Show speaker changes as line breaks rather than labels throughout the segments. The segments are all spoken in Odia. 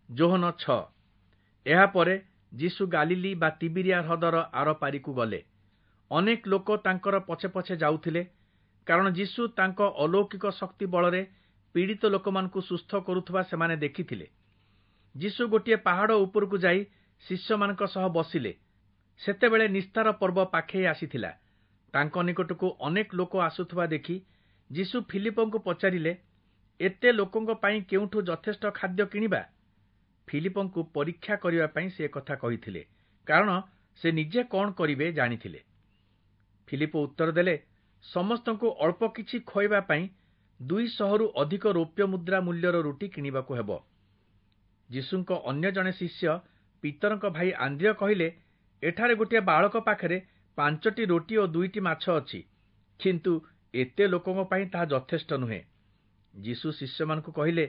ଯୋହନ 6। ଏହାପରେ ଯୀଶୁ ଗାଲିଲୀ ବା ତିବିରିଆ ହ୍ରଦର ଆରପାରିକୁ ଗଲେ। ଅନେକ ଲୋକ ତାଙ୍କର ପଛେ ପଛେ ଯାଉଥିଲେ, କାରଣ ଯୀଶୁ ତାଙ୍କ ଅଲୌକିକ ଶକ୍ତି ବଳରେ ପୀଡ଼ିତ ଲୋକମାନଙ୍କୁ ସୁସ୍ଥ କରୁଥିବା ସେମାନେ ଦେଖିଥିଲେ। ଯୀଶୁ ଗୋଟିଏ ପାହାଡ଼ ଉପରକୁ ଯାଇ ଶିଷ୍ୟମାନଙ୍କ ସହ ବସିଲେ। ସେତେବେଳେ ନିସ୍ତାର ପର୍ବ ପାଖେଇ ଆସିଥିଲା। ତାଙ୍କ ନିକଟକୁ ଅନେକ ଲୋକ ଆସୁଥିବା ଦେଖି ଯୀଶୁ ଫିଲିପଙ୍କୁ ପଚାରିଲେ, ଏତେ ଲୋକଙ୍କ ପାଇଁ କେଉଁଠୁ ଯଥେଷ୍ଟ ଖାଦ୍ୟ କିଣିବା? ଫିଲିପଙ୍କୁ ପରୀକ୍ଷା କରିବା ପାଇଁ ସେ ଏକଥା କହିଥିଲେ, କାରଣ ସେ ନିଜେ କଣ କରିବେ ଜାଣିଥିଲେ। ଫିଲିପ ଉତ୍ତର ଦେଲେ, ସମସ୍ତଙ୍କୁ ଅଳ୍ପ କିଛି ଖୁଆଇବା ପାଇଁ 200ରୁ ଅଧିକ ରୌପ୍ୟ ମୁଦ୍ରା ମୂଲ୍ୟର ରୁଟି କିଣିବାକୁ ହେବ। ଯୀଶୁଙ୍କ ଅନ୍ୟ ଜଣେ ଶିଷ୍ୟ ପିତରଙ୍କ ଭାଇ ଆନ୍ଦ୍ରିୟ କହିଲେ, ଏଠାରେ ଗୋଟିଏ ବାଳକ ପାଖରେ 5ଟି ରୋଟି ଓ 2ଟି ମାଛ ଅଛି, କିନ୍ତୁ ଏତେ ଲୋକଙ୍କ ପାଇଁ ତାହା ଯଥେଷ୍ଟ ନୁହେଁ। ଯୀଶୁ ଶିଷ୍ୟମାନଙ୍କୁ କହିଲେ,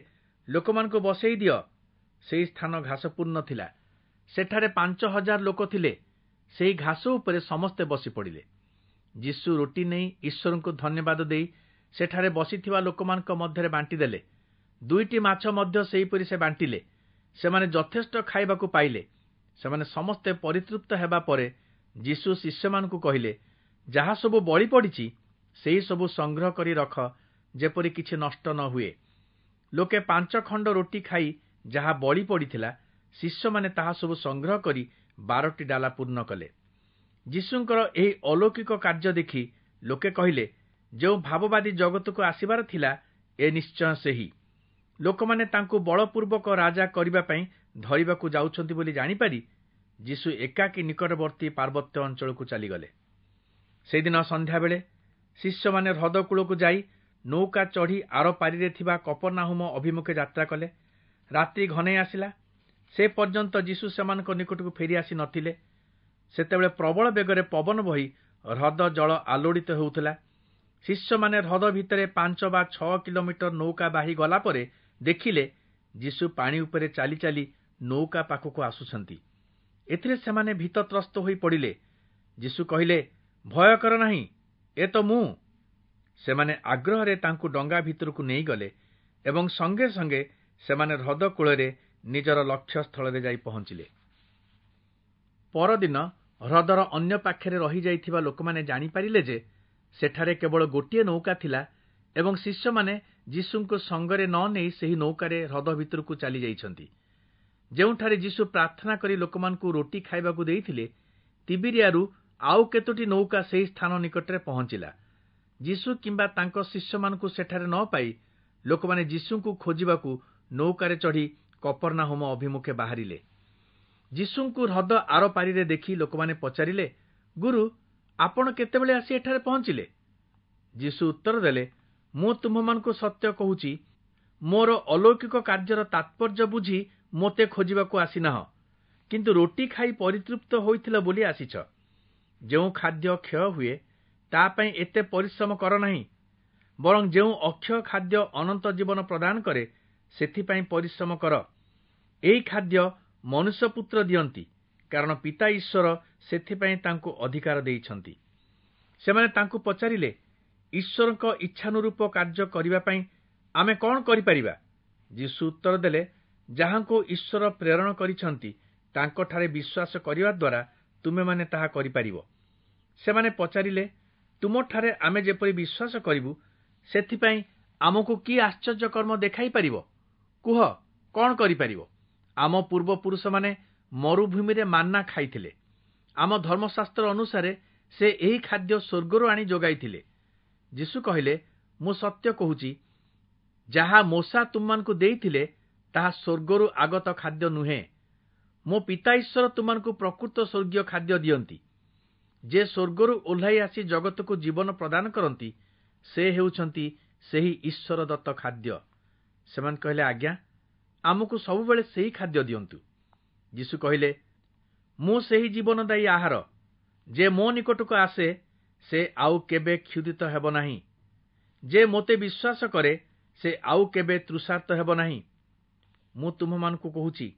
ଲୋକମାନଙ୍କୁ ବସେଇ ଦିଅ। ସେହି ସ୍ଥାନ ଘାସପୂର୍ଣ୍ଣ ଥିଲା। ସେଠାରେ 5000 ଲୋକ ଥିଲେ। ସେହି ଘାସ ଉପରେ ସମସ୍ତେ ବସି ପଡ଼ିଲେ। ଯୀଶୁ ରୋଟି ନେଇ ଈଶ୍ୱରଙ୍କୁ ଧନ୍ୟବାଦ ଦେଇ ସେଠାରେ ବସିଥିବା ଲୋକମାନଙ୍କ ମଧ୍ୟରେ ବାଣ୍ଟିଦେଲେ। 2ଟି ମାଛ ମଧ୍ୟ ସେହିପରି ସେ ବାଣ୍ଟିଲେ। ସେମାନେ ଯଥେଷ୍ଟ ଖାଇବାକୁ ପାଇଲେ। ସେମାନେ ସମସ୍ତେ ପରିତୃପ୍ତ ହେବା ପରେ ଯୀଶୁ ଶିଷ୍ୟମାନଙ୍କୁ କହିଲେ, ଯାହା ସବୁ ବଳି ପଡ଼ିଛି ସେହି ସବୁ ସଂଗ୍ରହ କରି ରଖ, ଯେପରି କିଛି ନଷ୍ଟ ନ ହୁଏ। ଲୋକେ 5 ଖଣ୍ଡ ରୋଟି ଖାଇ ଯାହା ବଳି ପଡ଼ିଥିଲା, ଶିଷ୍ୟମାନେ ତାହା ସବୁ ସଂଗ୍ରହ କରି 12ଟି ଡାଲା ପୂର୍ଣ୍ଣ କଲେ। ଯୀଶୁଙ୍କର ଏହି ଅଲୌକିକ କାର୍ଯ୍ୟ ଦେଖି ଲୋକେ କହିଲେ, ଯେଉଁ ଭାବବାଦୀ ଜଗତକୁ ଆସିବାର ଥିଲା, ଏ ନିଶ୍ଚୟ ସେହି। ଲୋକମାନେ ତାଙ୍କୁ ବଳପୂର୍ବକ ରାଜା କରିବା ପାଇଁ ଧରିବାକୁ ଯାଉଛନ୍ତି ବୋଲି ଜାଣିପାରି ଯୀଶୁ ଏକାକୀ ନିକଟବର୍ତ୍ତୀ ପାର୍ବତ୍ୟ ଅଞ୍ଚଳକୁ ଚାଲିଗଲେ। ସେଦିନ ସନ୍ଧ୍ୟାବେଳେ ଶିଷ୍ୟମାନେ ହ୍ରଦ କୂଳକୁ ଯାଇ ନୌକା ଚଢ଼ି ଆରପାରିରେ ଥିବା କପର୍ନାହୁମ ଅଭିମୁଖେ ଯାତ୍ରା କଲେ। ରାତ୍ରି ଘନେଇ ଆସିଲା। ସେ ପର୍ଯ୍ୟନ୍ତ ଯୀଶୁ ସେମାନଙ୍କ ନିକଟକୁ ଫେରି ଆସି ନଥିଲେ। ସେତେବେଳେ ପ୍ରବଳ ବେଗରେ ପବନ ବହି ହ୍ରଦ ଜଳ ଆଲୋଡ଼ିତ ହେଉଥିଲା। ଶିଷ୍ୟମାନେ ହ୍ରଦ ଭିତରେ 5 ବା 6 କିଲୋମିଟର ନୌକା ବାହି ଗଲା ପରେ ଦେଖିଲେ ଯୀଶୁ ପାଣି ଉପରେ ଚାଲି ଚାଲି ନୌକା ପାଖକୁ ଆସୁଛନ୍ତି। ଏଥିରେ ସେମାନେ ଭୀତତ୍ରସ୍ତ ହୋଇ ପଡ଼ିଲେ। ଯୀଶୁ କହିଲେ, ଭୟ କର ନାହିଁ, ଏ ତ ମୁଁ। ସେମାନେ ଆଗ୍ରହରେ ତାଙ୍କୁ ଡଙ୍ଗା ଭିତରକୁ ନେଇଗଲେ ଏବଂ ସଙ୍ଗେ ସଙ୍ଗେ ସେମାନେ ହ୍ରଦ କୂଳରେ ନିଜର ଲକ୍ଷ୍ୟସ୍ଥଳରେ ଯାଇ ପହଞ୍ଚିଲେ। ପରଦିନ ହ୍ରଦର ଅନ୍ୟ ପାଖରେ ରହିଯାଇଥିବା ଲୋକମାନେ ଜାଣିପାରିଲେ ଯେ ସେଠାରେ କେବଳ ଗୋଟିଏ ନୌକା ଥିଲା ଏବଂ ଶିଷ୍ୟମାନେ ଯୀଶୁଙ୍କୁ ସଙ୍ଗରେ ନ ନେଇ ସେହି ନୌକାରେ ହ୍ରଦ ଭିତରକୁ ଚାଲିଯାଇଛନ୍ତି। ଯେଉଁଠାରେ ଯୀଶୁ ପ୍ରାର୍ଥନା କରି ଲୋକମାନଙ୍କୁ ରୋଟି ଖାଇବାକୁ ଦେଇଥିଲେ, ତିବିରିଆରୁ ଆଉ କେତୋଟି ନୌକା ସେହି ସ୍ଥାନ ନିକଟରେ ପହଞ୍ଚିଲା। ଯୀଶୁ କିମ୍ବା ତାଙ୍କ ଶିଷ୍ୟମାନଙ୍କୁ ସେଠାରେ ନ ପାଇ ଲୋକମାନେ ଯୀଶୁଙ୍କୁ ଖୋଜିବାକୁ ନୌକାରେ ଚଢ଼ି କପର୍ନାହୁମ ଅଭିମୁଖେ ବାହାରିଲେ। ଯୀଶୁଙ୍କୁ ହ୍ରଦ ଆରପାରିରେ ଦେଖି ଲୋକମାନେ ପଚାରିଲେ, ଗୁରୁ, ଆପଣ କେତେବେଳେ ଆସି ଏଠାରେ ପହଞ୍ଚିଲେ? ଯୀଶୁ ଉତ୍ତର ଦେଲେ, ମୁଁ ତୁମ୍ଭମାନଙ୍କୁ ସତ୍ୟ କହୁଛି, ମୋର ଅଲୌକିକ କାର୍ଯ୍ୟର ତାତ୍ପର୍ଯ୍ୟ ବୁଝି ମୋତେ ଖୋଜିବାକୁ ଆସିନାହ, କିନ୍ତୁ ରୋଟି ଖାଇ ପରିତୃପ୍ତ ହୋଇଥିଲ ବୋଲି ଆସିଛ। ଯେଉଁ ଖାଦ୍ୟ କ୍ଷୟ ହୁଏ ତା ପାଇଁ ଏତେ ପରିଶ୍ରମ କର ନାହିଁ, ବରଂ ଯେଉଁ ଅକ୍ଷୟ ଖାଦ୍ୟ ଅନନ୍ତ ଜୀବନ ପ୍ରଦାନ କରେ ସେଥିପାଇଁ ପରିଶ୍ରମ କର। ଏହି ଖାଦ୍ୟ ମନୁଷ୍ୟପୁତ୍ର ଦିଅନ୍ତି, କାରଣ ପିତା ଈଶ୍ୱର ସେଥିପାଇଁ ତାଙ୍କୁ ଅଧିକାର ଦେଇଛନ୍ତି। ସେମାନେ ତାଙ୍କୁ ପଚାରିଲେ, ଈଶ୍ୱରଙ୍କ ଇଚ୍ଛାନୁରୂପ କାର୍ଯ୍ୟ କରିବା ପାଇଁ ଆମେ କଣ କରିପାରିବା? ଯୀଶୁ ଉତ୍ତର ଦେଲେ, ଯାହାଙ୍କୁ ଈଶ୍ୱର ପ୍ରେରଣ କରିଛନ୍ତି ତାଙ୍କଠାରେ ବିଶ୍ୱାସ କରିବା ଦ୍ୱାରା ତୁମେମାନେ ତାହା କରିପାରିବ। ସେମାନେ ପଚାରିଲେ, ତୁମଠାରେ ଆମେ ଯେପରି ବିଶ୍ୱାସ କରିବୁ ସେଥିପାଇଁ ଆମକୁ କି ଆଶ୍ଚର୍ଯ୍ୟ କର୍ମ ଦେଖାଇ ପାରିବ? କୁହ, କଣ କରିପାରିବ? ଆମ ପୂର୍ବପୁରୁଷମାନେ ମରୁଭୂମିରେ ମାନ୍ନା ଖାଇଥିଲେ। ଆମ ଧର୍ମଶାସ୍ତ୍ର ଅନୁସାରେ ସେ ଏହି ଖାଦ୍ୟ ସ୍ୱର୍ଗରୁ ଆଣି ଯୋଗାଇଥିଲେ। ଯୀଶୁ କହିଲେ, ମୁଁ ସତ୍ୟ କହୁଛି, ଯାହା ମୋଶା ତୁମମାନଙ୍କୁ ଦେଇଥିଲେ ତାହା ସ୍ୱର୍ଗରୁ ଆଗତ ଖାଦ୍ୟ ନୁହେଁ। ମୋ ପିତା ଈଶ୍ୱର ତୁମମାନଙ୍କୁ ପ୍ରକୃତ ସ୍ୱର୍ଗୀୟ ଖାଦ୍ୟ ଦିଅନ୍ତି। ଯେ ସ୍ୱର୍ଗରୁ ଓହ୍ଲାଇ ଆସି ଜଗତକୁ ଜୀବନ ପ୍ରଦାନ କରନ୍ତି, ସେ ହେଉଛନ୍ତି ସେହି ଈଶ୍ୱର ଦତ୍ତ ଖାଦ୍ୟ। ସେମାନେ କହିଲେ, ଆଜ୍ଞା, ଆମକୁ ସବୁବେଳେ ସେହି ଖାଦ୍ୟ ଦିଅନ୍ତୁ। ଯୀଶୁ କହିଲେ, ମୁଁ ସେହି ଜୀବନଦାୟୀ ଆହାର। ଯେ ମୋ ନିକଟକୁ ଆସେ ସେ ଆଉ କେବେ କ୍ଷୁଧିତ ହେବ ନାହିଁ। ଯେ ମୋତେ ବିଶ୍ୱାସ କରେ ସେ ଆଉ କେବେ ତୃଷାର୍ତ୍ତ ହେବ ନାହିଁ। ମୁଁ ତୁମ୍ଭମାନଙ୍କୁ କହୁଛି,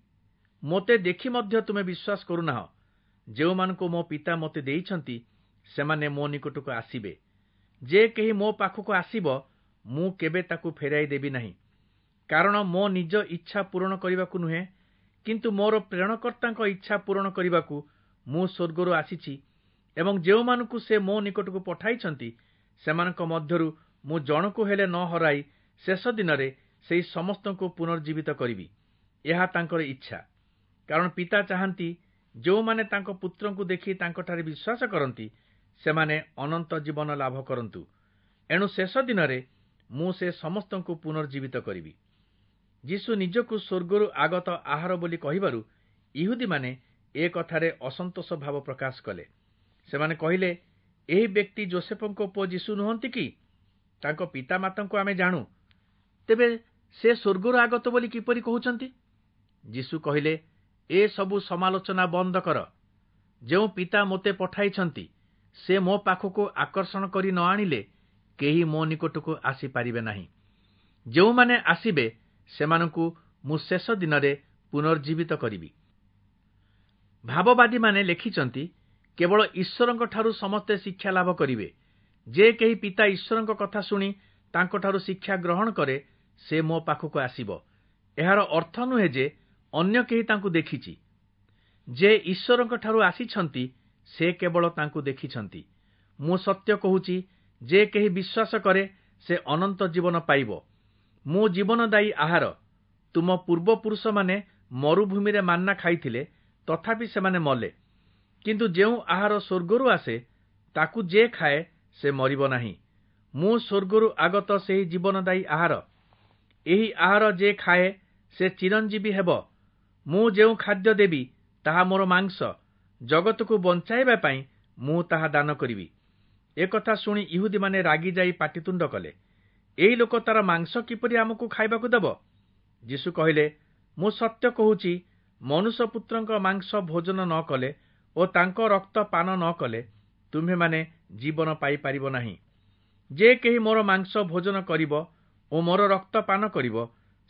ମୋତେ ଦେଖି ମଧ୍ୟ ତୁମେ ବିଶ୍ୱାସ କରୁନାହ। ଯେଉଁମାନଙ୍କୁ ମୋ ପିତା ମୋତେ ଦେଇଛନ୍ତି ସେମାନେ ମୋ ନିକଟକୁ ଆସିବେ। ଯେ କେହି ମୋ ପାଖକୁ ଆସିବ ମୁଁ କେବେ ତାକୁ ଫେରାଇ ଦେବି ନାହିଁ। କାରଣ ମୋ ନିଜ ଇଚ୍ଛା ପୂରଣ କରିବାକୁ ନୁହେଁ, କିନ୍ତୁ ମୋର ପ୍ରେରଣକର୍ତ୍ତାଙ୍କ ଇଚ୍ଛା ପୂରଣ କରିବାକୁ ମୁଁ ସ୍ୱର୍ଗରୁ ଆସିଛି ଏବଂ ଯେଉଁମାନଙ୍କୁ ସେ ମୋ ନିକଟକୁ ପଠାଇଛନ୍ତି, ସେମାନଙ୍କ ମଧ୍ୟରୁ ମୁଁ ଜଣକୁ ହେଲେ ନ ହରାଇ ଶେଷ ଦିନରେ ସେହି ସମସ୍ତଙ୍କୁ ପୁନର୍ଜୀବିତ କରିବି। ଏହା ତାଙ୍କର ଇଚ୍ଛା। କାରଣ ପିତା ଚାହାନ୍ତି, ଯେଉଁମାନେ ତାଙ୍କ ପୁତ୍ରଙ୍କୁ ଦେଖି ତାଙ୍କଠାରେ ବିଶ୍ୱାସ କରନ୍ତି, ସେମାନେ ଅନନ୍ତ ଜୀବନ ଲାଭ କରନ୍ତୁ। ଏଣୁ ଶେଷ ଦିନରେ ମୁଁ ସେ ସମସ୍ତଙ୍କୁ ପୁନର୍ଜୀବିତ କରିବି। ଯୀଶୁ ନିଜକୁ ସ୍ୱର୍ଗରୁ ଆଗତ ଆହାର ବୋଲି କହିବାରୁ ଇହୁଦୀମାନେ ଏ କଥାରେ ଅସନ୍ତୋଷ ଭାବ ପ୍ରକାଶ କଲେ। ସେମାନେ କହିଲେ, ଏହି ବ୍ୟକ୍ତି ଯୋସେଫଙ୍କ ପୁଅ ଯୀଶୁ ନୁହନ୍ତି କି? ତାଙ୍କ ପିତାମାତାଙ୍କୁ ଆମେ ଜାଣୁ। ତେବେ ସେ ସ୍ୱର୍ଗରୁ ଆଗତ ବୋଲି କିପରି କହୁଛନ୍ତି? ଯୀଶୁ କହିଲେ, ଏ ସବୁ ସମାଲୋଚନା ବନ୍ଦ କର। ଯେଉଁ ପିତା ମୋତେ ପଠାଇଛନ୍ତି, ସେ ମୋ ପାଖକୁ ଆକର୍ଷଣ କରି ନ ଆଣିଲେ କେହି ମୋ ନିକଟକୁ ଆସିପାରିବେ ନାହିଁ। ଯେଉଁମାନେ ଆସିବେ, ସେମାନଙ୍କୁ ମୁଁ ଶେଷ ଦିନରେ ପୁନର୍ଜୀବିତ କରିବି। ଭାବବାଦୀମାନେ ଲେଖିଛନ୍ତି, କେବଳ ଈଶ୍ୱରଙ୍କଠାରୁ ସମସ୍ତେ ଶିକ୍ଷା ଲାଭ କରିବେ। ଯେ କେହି ପିତା ଈଶ୍ୱରଙ୍କ କଥା ଶୁଣି ତାଙ୍କଠାରୁ ଶିକ୍ଷା ଗ୍ରହଣ କରେ, ସେ ମୋ ପାଖକୁ ଆସିବ। ଏହାର ଅର୍ଥ ନୁହେଁ ଯେ ଅନ୍ୟ କେହି ତାଙ୍କୁ ଦେଖିଛି। ଯେ ଈଶ୍ୱରଙ୍କଠାରୁ ଆସିଛନ୍ତି, ସେ କେବଳ ତାଙ୍କୁ ଦେଖିଛନ୍ତି। ମୁଁ ସତ୍ୟ କହୁଛି, ଯେ କେହି ବିଶ୍ୱାସ କରେ, ସେ ଅନନ୍ତ ଜୀବନ ପାଇବ। ମୁଁ ଜୀବନଦାୟୀ ଆହାର। ତୁମ ପୂର୍ବପୁରୁଷମାନେ ମରୁଭୂମିରେ ମାନ୍ନା ଖାଇଥିଲେ, ତଥାପି ସେମାନେ ମଲେ। କିନ୍ତୁ ଯେଉଁ ଆହାର ସ୍ୱର୍ଗରୁ ଆସେ, ତାକୁ ଯେ ଖାଏ ସେ ମରିବ ନାହିଁ। ମୁଁ ସ୍ୱର୍ଗରୁ ଆଗତ ସେହି ଜୀବନଦାୟୀ ଆହାର। ଏହି ଆହାର ଯେ ଖାଏ, ସେ ଚିରଞ୍ଜୀବୀ ହେବ। ମୁଁ ଯେଉଁ ଖାଦ୍ୟ ଦେବି, ତାହା ମୋର ମାଂସ। ଜଗତକୁ ବଞ୍ଚାଇବା ପାଇଁ ମୁଁ ତାହା ଦାନ କରିବି। ଏକଥା ଶୁଣି ଇହୁଦୀମାନେ ରାଗିଯାଇ ପାଟିତୁଣ୍ଡ କଲେ, ଏହି ଲୋକ ତାର ମାଂସ କିପରି ଆମକୁ ଖାଇବାକୁ ଦେବ? ଯୀଶୁ କହିଲେ, ମୁଁ ସତ୍ୟ କହୁଛି, ମନୁଷ୍ୟପୁତ୍ରଙ୍କ ମାଂସ ଭୋଜନ ନ କଲେ ଓ ତାଙ୍କ ରକ୍ତ ପାନ ନ କଲେ ତୁମ୍ଭେମାନେ ଜୀବନ ପାଇପାରିବ ନାହିଁ। ଯେ କେହି ମୋର ମାଂସ ଭୋଜନ କରିବ ଓ ମୋର ରକ୍ତ ପାନ କରିବ,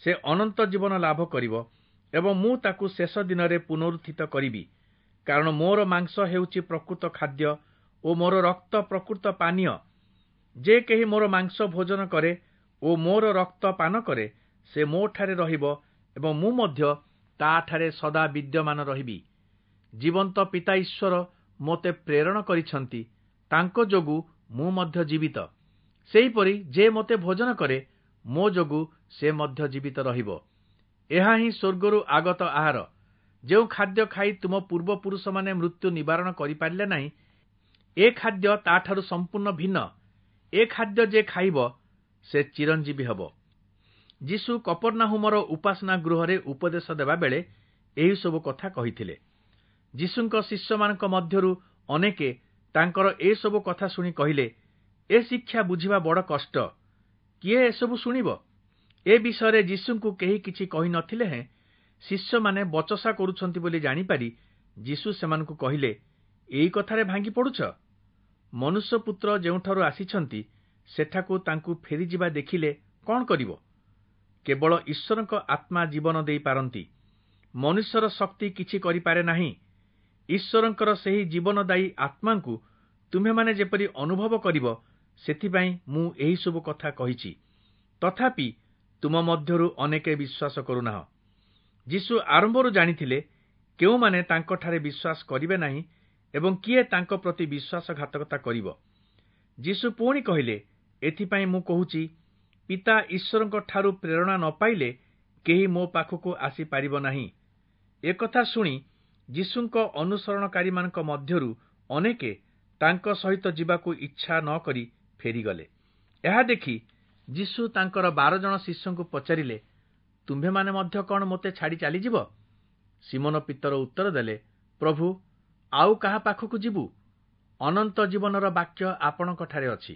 ସେ ଅନନ୍ତ ଜୀବନ ଲାଭ କରିବ ଏବଂ ମୁଁ ତାକୁ ଶେଷ ଦିନରେ ପୁନରୁତ୍ଥିତ କରିବି। କାରଣ ମୋର ମାଂସ ହେଉଛି ପ୍ରକୃତ ଖାଦ୍ୟ ଓ ମୋର ରକ୍ତ ପ୍ରକୃତ ପାନୀୟ। ଯେ କେହି ମୋର ମାଂସ ଭୋଜନ କରେ ଓ ମୋର ରକ୍ତ ପାନ କରେ, ସେ ମୋଠାରେ ରହିବ ଏବଂ ମୁଁ ମଧ୍ୟ ତାଠାରେ ସଦା ବିଦ୍ୟମାନ ରହିବି। ଜୀବନ୍ତ ପିତା ଈଶ୍ୱର ମୋତେ ପ୍ରେରଣ କରିଛନ୍ତି, ତାଙ୍କ ଯୋଗୁଁ ମୁଁ ମଧ୍ୟ ଜୀବିତ। ସେହିପରି ଯେ ମୋତେ ଭୋଜନ କରେ, ମୋ ଯୋଗୁଁ ସେ ମଧ୍ୟ ଜୀବିତ ରହିବ। ଏହା ହିଁ ସ୍ୱର୍ଗରୁ ଆଗତ ଆହାର। ଯେଉଁ ଖାଦ୍ୟ ଖାଇ ତୁମ ପୂର୍ବପୁରୁଷମାନେ ମୃତ୍ୟୁ ନିବାରଣ କରିପାରିଲେ ନାହିଁ, ଏ ଖାଦ୍ୟ ତାଠାରୁ ସମ୍ପୂର୍ଣ୍ଣ ଭିନ୍ନ। ଏ ଖାଦ୍ୟ ଯେ ଖାଇବ, ସେ ଚିରଞ୍ଜୀବୀ ହେବ। ଯୀଶୁ କପର୍ନାହୁମର ଉପାସନା ଗୃହରେ ଉପଦେଶ ଦେବା ବେଳେ ଏହିସବୁ କଥା କହିଥିଲେ। ଯୀଶୁଙ୍କ ଶିଷ୍ୟମାନଙ୍କ ମଧ୍ୟରୁ ଅନେକେ ତାଙ୍କର ଏସବୁ କଥା ଶୁଣି କହିଲେ, ଏ ଶିକ୍ଷା ବୁଝିବା ବଡ଼ କଷ୍ଟ। କିଏ ଏସବୁ ଶୁଣିବ? ଏ ବିଷୟରେ ଯୀଶୁଙ୍କୁ କେହି କିଛି କହି ନଥିଲେ ହେଁ ଶିଷ୍ୟମାନେ ବଚସା କରୁଛନ୍ତି ବୋଲି ଜାଣିପାରି ଯୀଶୁ ସେମାନଙ୍କୁ କହିଲେ, ଏଇ କଥାରେ ଭାଙ୍ଗି ପଡ଼ୁଛ? ମନୁଷ୍ୟପୁତ୍ର ଯେଉଁଠାରୁ ଆସିଛନ୍ତି, ସେଠାକୁ ତାଙ୍କୁ ଫେରିଯିବା ଦେଖିଲେ କ'ଣ କରିବ? କେବଳ ଈଶ୍ୱରଙ୍କ ଆତ୍ମା ଜୀବନ ଦେଇପାରନ୍ତି। ମନୁଷ୍ୟର ଶକ୍ତି କିଛି କରିପାରେ ନାହିଁ। ଈଶ୍ୱରଙ୍କର ସେହି ଜୀବନଦାୟୀ ଆତ୍ମାଙ୍କୁ ତୁମ୍ଭେମାନେ ଯେପରି ଅନୁଭବ କରିବ, ସେଥିପାଇଁ ମୁଁ ଏହିସବୁ କଥା କହିଛି। ତଥାପି ତୁମ ମଧ୍ୟରୁ ଅନେକେ ବିଶ୍ୱାସ କରୁନାହଁ। ଯୀଶୁ ଆରମ୍ଭରୁ ଜାଣିଥିଲେ କେଉଁମାନେ ତାଙ୍କଠାରେ ବିଶ୍ୱାସ କରିବେ ନାହିଁ ଏବଂ କିଏ ତାଙ୍କ ପ୍ରତି ବିଶ୍ୱାସଘାତକତା କରିବ। ଯୀଶୁ ପୁଣି କହିଲେ, ଏଥିପାଇଁ ମୁଁ କହୁଛି, ପିତା ଈଶ୍ୱରଙ୍କ ଠାରୁ ପ୍ରେରଣା ନ ପାଇଲେ କେହି ମୋ ପାଖକୁ ଆସିପାରିବ ନାହିଁ। ଏକଥା ଶୁଣି ଯୀଶୁଙ୍କ ଅନୁସରଣକାରୀମାନଙ୍କ ମଧ୍ୟରୁ ଅନେକେ ତାଙ୍କ ସହିତ ଯିବାକୁ ଇଚ୍ଛା ନ କରି ଫେରିଗଲେ। ଏହା ଦେଖି ଯୀଶୁ ତାଙ୍କର 12 ଜଣ ଶିଷ୍ୟଙ୍କୁ ପଚାରିଲେ, ତୁମ୍ଭେମାନେ ମଧ୍ୟ କ'ଣ ମୋତେ ଛାଡ଼ି ଚାଲିଯିବ? ସିମୋନ ପିତର ଉତ୍ତର ଦେଲେ, ପ୍ରଭୁ, ଆଉ କାହା ପାଖକୁ ଯିବୁ? ଅନନ୍ତ ଜୀବନର ବାକ୍ୟ ଆପଣଙ୍କଠାରେ ଅଛି।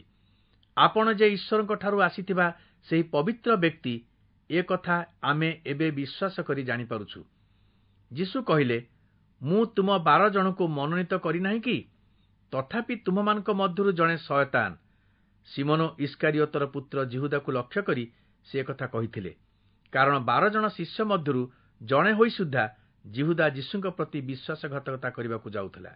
ଆପଣ ଯେ ଈଶ୍ୱରଙ୍କଠାରୁ ଆସିଥିବା ସେହି ପବିତ୍ର ବ୍ୟକ୍ତି, ଏ କଥା ଆମେ ଏବେ ବିଶ୍ୱାସ କରି ଜାଣିପାରୁଛୁ। ଯୀଶୁ କହିଲେ, ମୁଁ ତୁମ 12 ଜଣଙ୍କୁ ମନୋନୀତ କରିନାହିଁ କି? ତଥାପି ତୁମମାନଙ୍କ ମଧ୍ୟରୁ ଜଣେ ଶୟତାନ। ସିମୋନ ଇସ୍କାରିୟତର ପୁତ୍ର ଯିହୁଦାକୁ ଲକ୍ଷ୍ୟ କରି ସେ କଥା କହିଥିଲେ, କାରଣ 12 ଜଣ ଶିଷ୍ୟ ମଧ୍ୟରୁ ଜଣେ ହୋଇ ସୁଦ୍ଧା ଯିହୁଦା ଯୀଶୁଙ୍କ ପ୍ରତି ବିଶ୍ୱାସଘାତକତା କରିବାକୁ ଯାଉଥିଲା।